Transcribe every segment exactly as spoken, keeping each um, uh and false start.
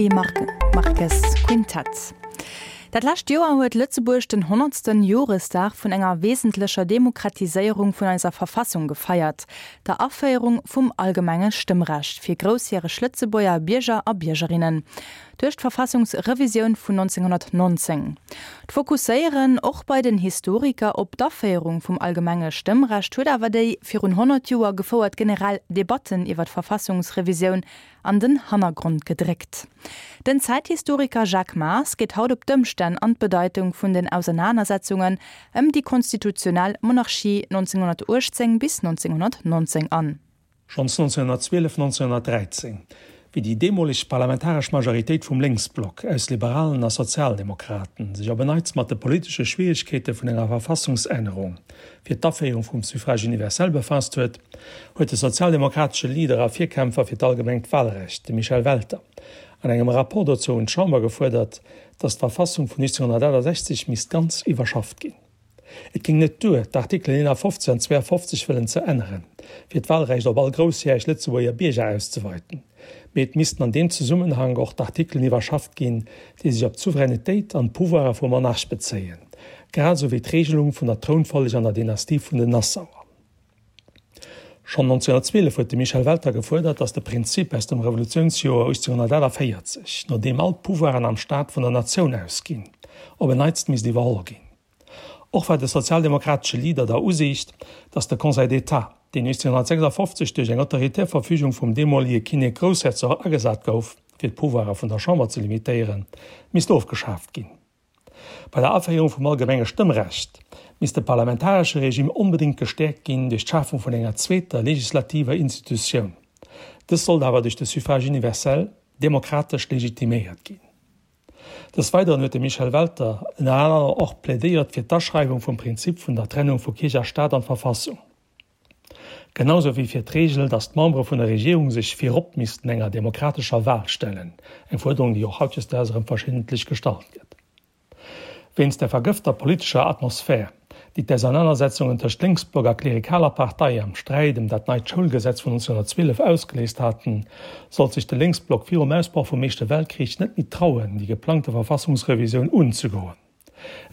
Willy Marques Quintett. Dat lescht Joer huet Lëtzebuerg den honnertsten Joresdag vun enger wesentlecher Demokratiséierung vun eiser Verfassung gefeiert, der Aféierung vum allgemenge Stëmmrecht fir groussjäreg Lëtzebuerger Bierger a Biergerinnen. Duerch d'Verfassungsrevisioun vun nonzénghonnertnonzéng. D'Fokusséieren och bei den Historiker op d'Aféierung vum allgemenge Stëmmrecht huet awer déi virun honnert Joer gefouert generell Debatten iwwer d'Verfassungsrevisioun an den Hannergrond gedréckt. Den Zäithistoriker Jacques Maas geet haut op d'Ëmstänn an d'Bedeitung vun den Ausernanersetzungen ëm déi konstitutionell Monarchie nonzénghonnertuechtzéng bis nonzénghonnertnonzéng an. Schonns nonzénghonnertzwielef, nonzénghonnertdräizéng, wéi déi deemoleg parlamentaresch Majoritéit vum Lénksblock aus Liberalen a Sozialdemokraten sech op en Neits mat de politesche Schwieregkeete vun enger Verfassungsännerung fir d'Aféierung vum Suffrage universel befaasst huet, huet de sozialdemokratesche Leader a Virkämpfer fir d'allgemengt Walrecht, de Michel Welter, an engem Rapport dozou un d'Chamber gefuerdert, datt d'Verfassung vun nonzénghonnertaachtasechzeg misst ganz iwwerschafft ginn. Et géing net duer, d'Artikelen eenafofzeg an zweeafofzeg wëllen ze änneren, fir d'Walrecht op all groussjäreg Lëtzebuerger Bierger auszeweiten, mee et missten an deem Zesummenhank och d'Artikelen iwwerschafft ginn, déi sech op d'Souveränitéit an d'Pouvoire vum Monarch bezéien, grad esou wéi d'Regelung vun der Trounfolleg an der Dynastie vun den Nassauer. Schonn nonzénghonnertzwielef huet de Michel Welter gefuerdert, datt de Prinzip aus dem Revolutiounsjoer uechtzénghonnertaachtavéierzeg, no deem all d'Pouvoiren am Staat vun der Natioun ausginn, op en Neits misst iwwerholl ginn. Och war de sozialdemokratesche Leader der Usiicht, datt de Conseil d'État, deen uechtzénghonnertsechsafofzeg duerch eng autoritär Verfügung vum deemolige Kinnek-Groussherzog agesat gouf, fir d'Pouvoirer vun der Chamber ze limitéieren, misst ofgeschaaft ginn. Bei der Aféierung vum allgemenge Stëmmrecht misst de parlamentaresche Regime onbedéngt gestäerkt ginn duerch d'Schafung vun enger zweeter legislativer Institutioun. Dës sollt awer duerch de Suffrage universel demokratesch legitiméiert ginn. Des Weideren huet de Michel Welter ënner anerem och plädéiert fir d'Aschreiwung vum Prinzip vun der Trennung vu Kierch a Staat an d'Verfassung, genau sou wéi fir d'Reegel, datt d'Membere vun der Regierung sech virop missten enger demokratescher Wal stellen, eng Fuerderung, déi och hautdesdaags erëm verschiddentlech gestallt gëtt. Wéinst der vergëfter politescher Atmosphär, déi d'Ausernanersetzungen tëscht Lénksblock a klerikaler Partei am Sträit ëm dat neit Schoulgesetz vun nonzénghonnertzwielef ausgeléist haten, sollt sech de Lénksblock virum Ausbroch vum Éischte Weltkrich net méi trauen, déi geplangte Verfassungsrevisioun unzegoen.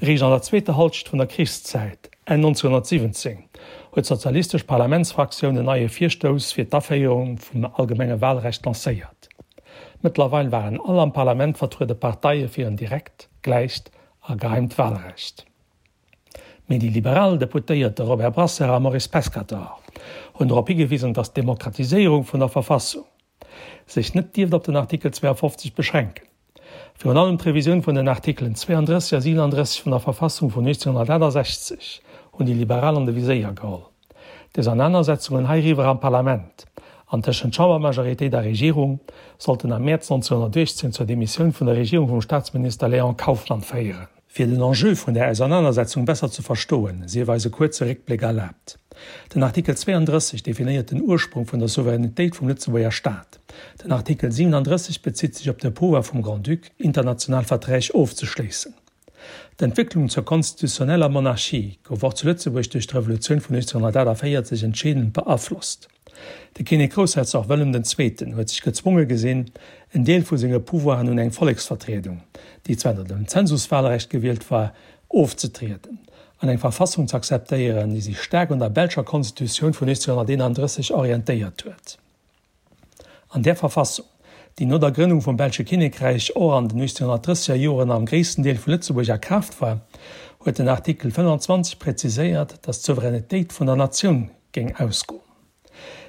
Eréischt an der zweeter Halschent vun der Krichszäit, Enn nonzénghonnertsiwwenzéng, huet d'sozialistesch Parlamentsfraktioun en neie Virstouss fir d'Aféierung vum allgemenge Walrecht lancéiert. Mëttlerweil waren all am Parlament vertruede Parteie fir en direkt, gläicht a geheimt Walrecht. Mee déi liberal Deputéierte Robert Brasseur a Maurice Pescatore hunn drop higewisen, datt d'Demokratiséierung vun der Verfassung sech net dierft op den Artikel zweeafofzeg beschränken. Virun allem d'Revisioun vun den Artikelen zweeandrësseg a siwenandrësseg vun der Verfassung vun nonzénghonnertaachtasechzeg hunn déi Liberal an de Viséier geholl. D'Ausernanersetzungen heiriwwer am Parlament an tëschent Chambermajoritéit a Regierung sollten am Mäerz nonzénghonnertuechtzéng zur Demissioun vun der Regierung vum Staatsminister Léon Kauffmann féieren. Fir den Enjeu vun där Ausernanersetzung besser ze verstoen, sief eis e kuerze Réckbléck erlaabt. Den Artikel zweeandrësseg definéiert den Ursprung vun der Souveränitéit vum Lëtzebuerger Staat. Den Artikel siwenandrësseg bezitt sech op de Pouvoir vum Grand-Duc, international Verträg ofzeschléissen. D'Entwécklung zur konstitutioneller Monarchie gouf och zu Lëtzebuerg duerch d'Revolutioun vun uechtzénghonnertaachtavéierzeg entscheedend beaflosst. De Kinnek-Groussherzog Wëllem den Zweeten huet sech gezwonge gesinn, en Deel vu senge Pouvoiren un eng Volleksvertriedung, déi zwar ënner dem Zensuswahlrecht gewielt war, ofzetrieden an eng Verfassung ze akzeptéieren, déi sech staark un der belscher Konstitutioun vun uechtzénghonnerteenandrësseg orientéiert huet. An där Verfassung, déi no der Grënnung vum belsche Kinnekräich och an den uechtzénghonnertdrësseger Joren am gréissten Deel vu Lëtzebuerg a Kraaft war, huet den Artikel fënnfanzwanzeg präziséiert, datt d'Souveränitéit vun der Natioun géing ausgoen.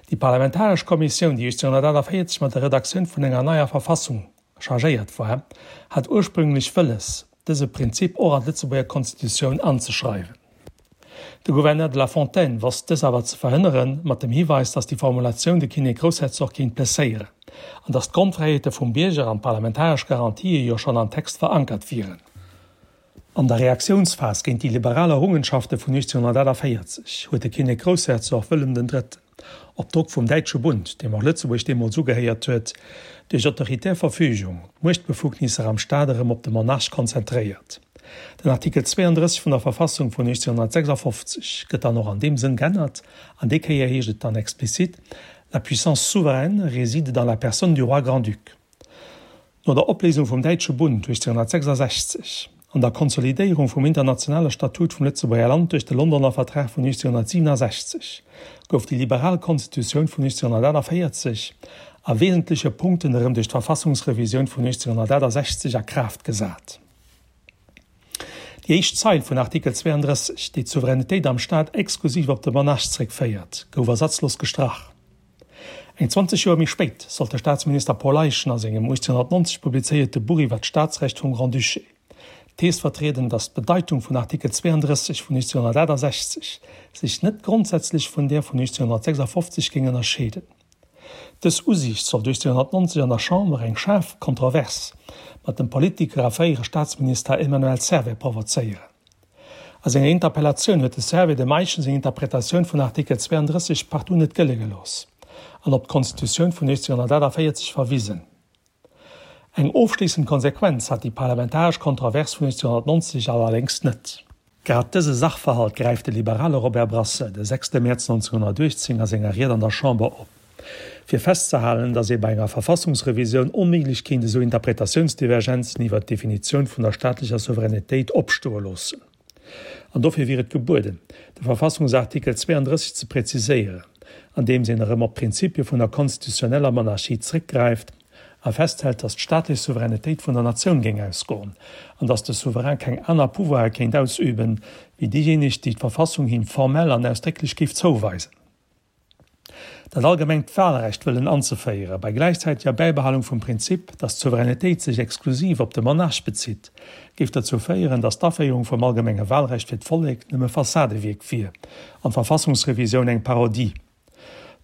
Déi parlamentaresch Kommissioun, déi uechtzénghonnertaachtavéierzeg mat der Redaktioun vun enger neier Verfassung chargéiert war, hat ursprünglech wëlles, dëse Prinzip och an d'Lëtzebuerger Konstitutioun anzeschreiwen. De Gouverneur de la Fontaine wosst dës awer ze verhënneren, mat dem Hiweis, datt déi Formulatioun de Kinnek-Groussherzog kéint blesséieren an datt d'Grondfräiheete vum Bierger an d'parlamentaresch Garantië jo schonn am Text verankert wieren. An der Reaktiounsphas géint déi liberal Errungenschafte vun uechtzénghonnertaachtavéierzeg huet de Kinnek-Groussherzog Wëllem den Drëtten, op Drock vum Däitsche Bund, deem och Lëtzebuerg deemools ugehéiert huet, duerch autoritär Verfügung d'Muechtbefugnisser am Staat erëm op de Monarch konzentréiert. Den Artikel zweeandrësseg vun der Verfassung vun uechtzénghonnertsechsafofzeg gëtt dann och an deem Sënn g'ännert, an déi Kéier heescht et dann explizit, La puissance souveraine réside dans la personne du roi grand-duc. No der Opléisung vum Däitsche Bund uechtzénhunnertsechsasechzeg an der Konsolidéierung vum internationale Statut vum Lëtzebuerger Land duerch de Londoner Vertrag vun uechtzénhunnertsiwwenasechzeg gouf déi liberal Konstitutioun vun uechtzénhunnertaachtavéierzeg a wesentleche Punkten erëm duerch d'Verfassungsrevisioun vun uechtzénhunnertaachtasechzeg a Kraaft gesat. Déi éischt Zeil vun Artikel zweeandrësseg, déi d'Souveränitéit am Staat exklusiv op de Monarch zréckféiert, gouf ersatzlos gestrach. Eng zwanzeg Joer méi spéit sollt de Staatsminister Paul Eyschen a sengem uechtzénhunnertnonzeg publizéierte Buch iwwer d'Staatsrecht vum Grand-Duché d'Thees vertrieden, datt d'Bedeitung vun Artikel zweeandrësseg vun uechtzénhunnertaachtasechzeg sech net grondsätzlech vun där vun uechtzénhunnertsechsafofzeg géing ënnerscheeden. Dës Usiicht sollt uechtzénhunnertnonzeg an der Chamber eng schaarf Kontrovers mat dem Politiker a fréiere Staatsminister Emmanuel Servais provozéieren. A senger Interpellatioun huet de Servais dem Eyschen seng Interpretatioun vun Artikel zweeandrësseg partout net gëlle gelooss an op d'Konstitutioun vun uechtzénhunnertaachtavéierzeg verwisen. Eng ofschléissend Konsequenz hat déi parlamentaresch Kontrovers vun uechtzénhunnertnonzeg allerdéngs net. Grad dëse Sachverhalt gräift de liberale Robert Brasseur de sechste Mäerz neunzehnhunnertuechtzéng a senger Ried an der Chamber op, fir festzehalen, datt ee bei enger Verfassungsrevisioun onméiglech kéint esou Interpretatiounsdivergenzen iwwer d'Definitioun vun der staatlecher Souveränitéit opstoe loossen. An dofir wier et gebueden, de Verfassungsartikel zweeandrësseg ze präziséieren, andeems een erëm op d'Prinzipie vun der konstitutioneller Monarchie zréckgräift a festhält, datt d'staatlech Souveränitéit vun der Natioun géing ausgoen an datt de Souverain keng aner Pouvoire kéint ausüben, wéi déijéineg, déi d'Verfassung him formell an ausdrécklech géif zouweisen. Dat allgemengt Wahlrecht wëllen anzeféieren, bei gläichzäiteger Bäibehalung vum Prinzip, datt d'Souveränitéit sech exklusiv op de Monarch bezitt, géif derzou féieren, datt d'Aféierung vum allgemenge Wahlrecht fir d'Vollek nëmme Fassadewierk wier an d'Verfassungsrevisioun eng Parodie.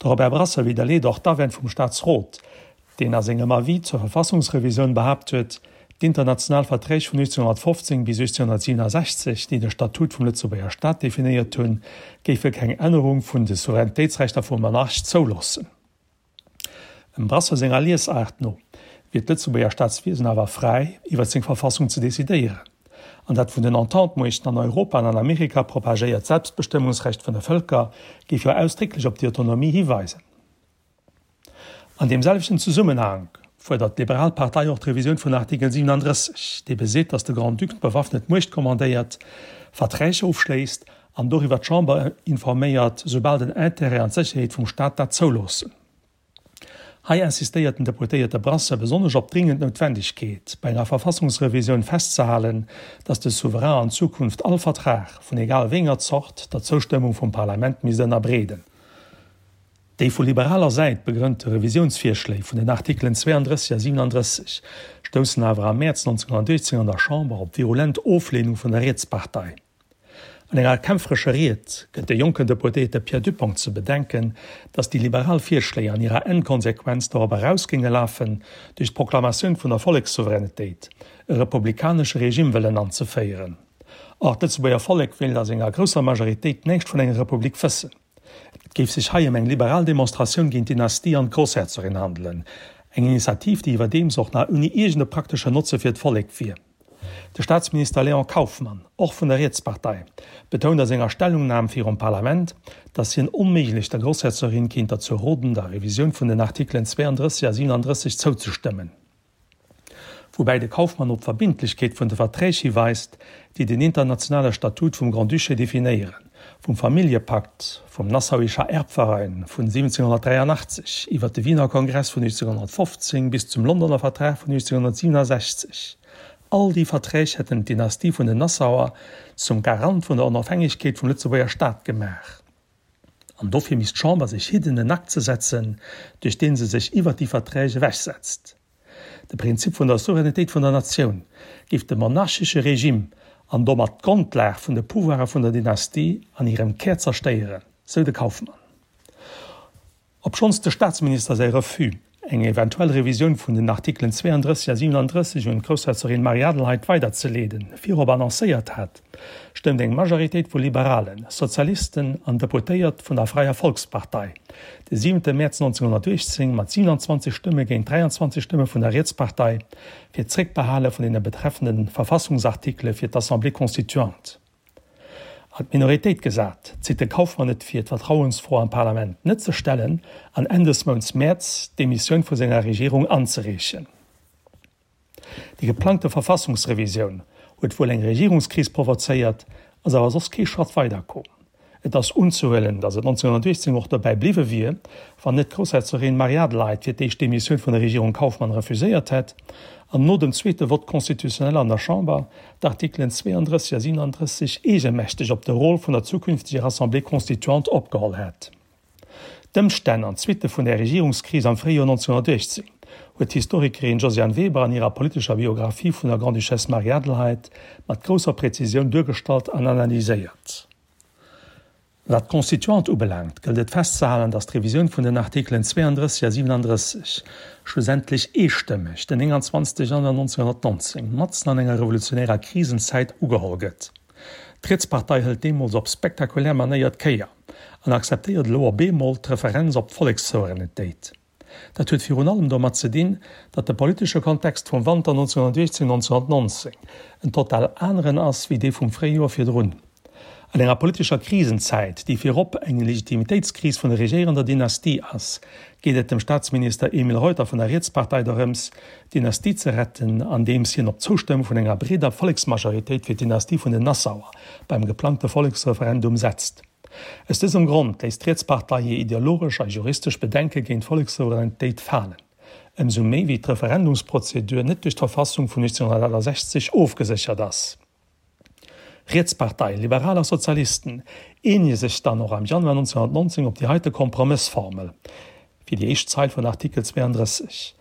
De Robert Brasseur widderleet och d'Awänn vum Staatsrot, deen a sengem Avis zur Verfassungsrevisioun behaapt huet, d'international Verträg vun uechtzénhunnertfofzéng bis uechtzénhunnertsiwwenasechzeg, déi de Statut vum Lëtzebuerger Staat definéiert hunn, géife keng Ännerung vun de Souveränitéitsrechter vum Monarch zouloossen. Dem Brasseur senger Liesaart no wier d'Lëtzebuerger Staatswiesen awer fräi, iwwer seng Verfassung ze decidéieren, an dat vun den Entente-Muechten an Europa an an Amerika propagéiert Selbstbestëmmungsrecht vun de Vëlker géif jo ausdrécklech op déi Autonomie hiweisen. An deem selwechten Zesummenhank fuerdert d'Liberal Partei och d'Revisioun vun Artikel siewenunddrësseg, dee beseet, datt de Grand-Duc d'bewaffnet Muecht kommandéiert, Verträg ofschléisst an doriwwer d'Chamber informéiert, soubal den Intérêt an d'Sécherheet vum Staat dat zouloossen. Hei insistéiert den Deputéierte Brasseur besonnesch op d'dringend Noutwendegkeet, bei enger Verfassungsrevisioun festzehalen, datt de Souverain an Zukunft all Vertrag, vun egal wéi enger Zort, der Zoustëmmung vum Parlament misst ënnerbreeden. Déi vu liberaler Säit begrënnte Revisiounsvirschléi vun den Artikelen zweeandrësseg a siwenandrësseg stoussen awer am Mäerz neunzehnhunnertuechtzéng an der Chamber op virulent Ofleenung vun der Rietspartei. An enger kämpferescher Ried gëtt de jonken Deputéierte Pierre Dupong ze bedenken, datt déi liberal Virschléi an hirer Endkonsequenz dorop eraus géinge lafen, duerch d'Proklamatioun vun der Vollekssouveränitéit e republikanesche Regime wëllen anzeféieren. Or, d'Lëtzebuerger Vollek wéilt a senger grousser Majoritéit näischt vun enger Republik wëssen. Et géif sech hei ëm eng liberal Demonstratioun géint d'Dynastie an d'Groussherzogin handelen, eng Initiativ, déi iwwerdeems och nach ouni iergende praktesche Notze fir d'Vollek wier. De Staatsminister Léon Kauffmann, och vun der Rietspartei, betount a senger Stellungnam virum Parlament, datt hien onméiglech der Groussherzogin kéint derzou roden, der Revisioun vun den Artikelen zweeandrësseg a siwenandrësseg zouzestëmmen. Woubäi de Kauffmann op d'Verbindlechkeet vun de Verträg hiweist, déi den internationale Statut vum Grand-Duché definéieren, vum Familljepakt, vum Nassauischer Erbverein vun siwwenzénhunnertdräianachtzeg iwwer de Wiener Kongress vun uechtzénhunnertfofzéng bis zum Londoner Vertrag vun uechtzénhunnertsiwwenasechzeg. All déi Verträg hätten d'Dynastie vun den Nassauer zum Garant vun der Onofhängegkeet vum Lëtzebuerger Staat gemaach. An dofir misst d'Chamber sech hidden, en Akt ze setzen, duerch dee se sech iwwer déi Verträg ewechsetzt. De Prinzip vun der Souveränitéit vun der Natioun géif de monarchesche Regime an domat d'Grondlag vun de Pouvoire vun der Dynastie an hirem Kär zerstéieren, sou de Kauffmann. Obschonns de Staatsminister säi Refus, eng eventuell Revisioun vun den Artikelen zweeandrësseg a siwenandrësseg un d'Groussherzogin Marie-Adelheid weiderzeleeden, virop annoncéiert hat, stëmmt eng Majoritéit vu Liberalen, Sozialisten an Deputéiert vun der Freier Volkspartei de siwente Mäerz neunzehnhunnertuechtzéng mat siewenundzwanzeg Stëmme géint dräiandzwanzeg Stëmme vun der Rietspartei fir d'Zréckbehale vun deene betreffende Verfassungsartikele fir d'Assemblée constituante. An d'Minoritéit gesat, zitt de Kauffmann et vir, d'Vertrauensfro am Parlament net ze stellen an Enn des Mounts Mäerz d'Demissioun vu senger Regierung anzereechen. Déi geplangte Verfassungsrevisioun huet wuel eng Regierungskris provozéiert, ass awer soss kee Schratt weider komm. Et ass unzehuelen, datt et neunzehnhunnertuechtzéng och dobäi bliwwe wier, wann net d'Groussherzogin Marie-Adelheid fir d'éischt d'Demissioun vun der Regierung Kauffmann refuséiert hätt an no dem zweete Vote constitutionnel an der Chamber d'Artikelen zweeandrësseg a siwenandrësseg eegemächteg op de Rôle vun der zukünfteger Assemblée constituante opgeholl hätt. D'Ëmstänn an d'Suitte vun där Regierungskris am Fréijoer neunzehnhunnertuechtzéng huet d'Historikerin Josiane Weber an hirer politescher Biographie vun der Grande-Duchesse Marie-Adelheid mat grousser Präzisioun duergestallt an analyséiert. Wat d'Constituante ubelaangt, gëllt et festzehalen, datt d'Revisioun vun den Artikelen zweeandrësseg a siwenandrësseg schlussendlech eestëmmeg den nénganzwanzegste Januar neunzehnhunnertneunzéng, matzen an enger revolutionärer Krisenzäit, ugeholl gëtt. D'Rietspartei hëlt deemools op spektakulär Manéier d'Kéier an akzeptéiert elo op eemol d'Referenz op d'Vollekssouveränitéit. Dat huet virun allem domat ze dinn, datt de politesche Kontext vum Wanter neunzehnhunnertuechtzéng neunzehnhunnertneunzéng en total aneren ass wéi dee vum Fréijoer virdrun. An enger politescher Krisenzäit, déi virop eng Legitimitéitskris vun der regéierender Dynastie ass, geet et dem Staatsminister Emile Reuter vun der Rietspartei dorëms, d'Dynastie ze retten, andeems hien op d'Zoustëmmung vun enger breeder Volleksmajoritéit fir d'Dynastie vun den Nassauer beim geplangte Volleksreferendum setzt. Aus dësem Grond léisst d'Rietspartei hir ideologesch a juristesch Bedenke géint d'Vollekssouveränitéit falen, ëmsou méi wéi d'Referendumsprozedur net duerch d'Verfassung vun neunzehnhunnertaachtasechzeg ofgeséchert ass. Rietspartei, Liberal a Sozialisten eenege sech dann och am Januar neunzehnhunnertneunzéng op déi heite Kompromëssformel fir déi éischt Zeil vun Artikel zweeandrësseg,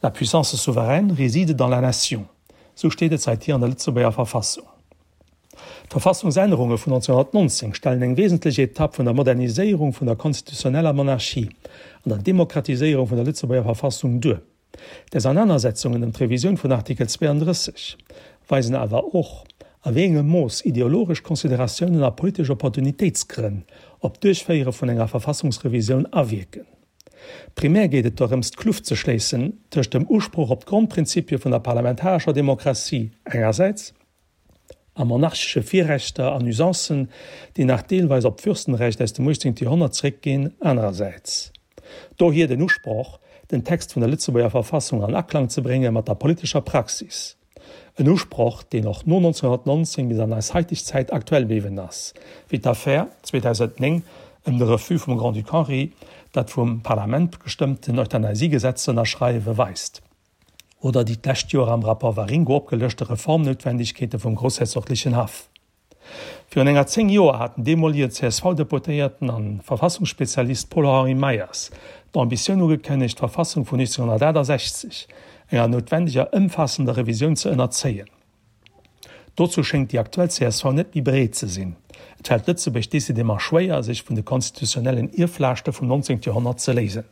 La puissance souveraine réside dans la nation. Sou steet et säithier an der Lëtzebuerger Verfassung. D'Verfassungsännerunge vun neunzehnhunnertneunzéng stellen eng wesentlech Etapp vun der Moderniséierung vun der konstitutioneller Monarchie an der Demokratiséierung vun der Lëtzebuerger Verfassung duer. D'Ausernanersetzungen ëm d'Revisioun vun Artikel zweeandrësseg weisen awer och, a wéi engem Mooss ideologesch Consideratiounen a politesch Opportunitéitsgrënn op d'Duerchféiere vun enger Verfassungsrevisioun awierken. Primär geet et dorëms, d'Kluft ze schléissen tëscht dem Usproch op d'Grondprinzipie vun der parlamentarescher Demokratie engersäits a monarchesche Virrechter an Usancen, déi nach deelweis op d'Fürstenrecht aus dem uechtzéngte Joerhonnert zréckginn, anerersäits. Dohier den Usproch, den Text vun der Lëtzebuerger Verfassung an Aklang ze brénge mat der politescher Praxis. En Usproch, deen och no neunzehnhunnertneunzéng bis an eis haiteg Zäit aktuell bliwwen ass, wéi d'Affär zweedausendnéng ëm de Refus vum Grand-Duc Henri, dat vum Parlament gestëmmten Euthanasiegesetz ze ënnerschreiwe weist, oder déi d'lescht Joer am Rapport Waringo opgelëschte Reformnoutwendegkeete vum groussherzoglechen Haff. Virun enger zéng Joer hat den deemolege C S V-Deputéierten a Verfassungsspezialist Paul-Henri Meyers d'Ambitioun ugekënnegt, d'Verfassung vun neunzehnhunnertaachtasechzeg enger noutwendeger ëmfaassender Revisioun ze ënnerzéien. Dozou schéngt déi aktuell C S V net méi bereet ze sinn. Et fält Lëtzebuerg decidément schwéier, sech vun de konstitutionellen Ierflaaschte vum neunzéngte Joerhonnert ze léisen.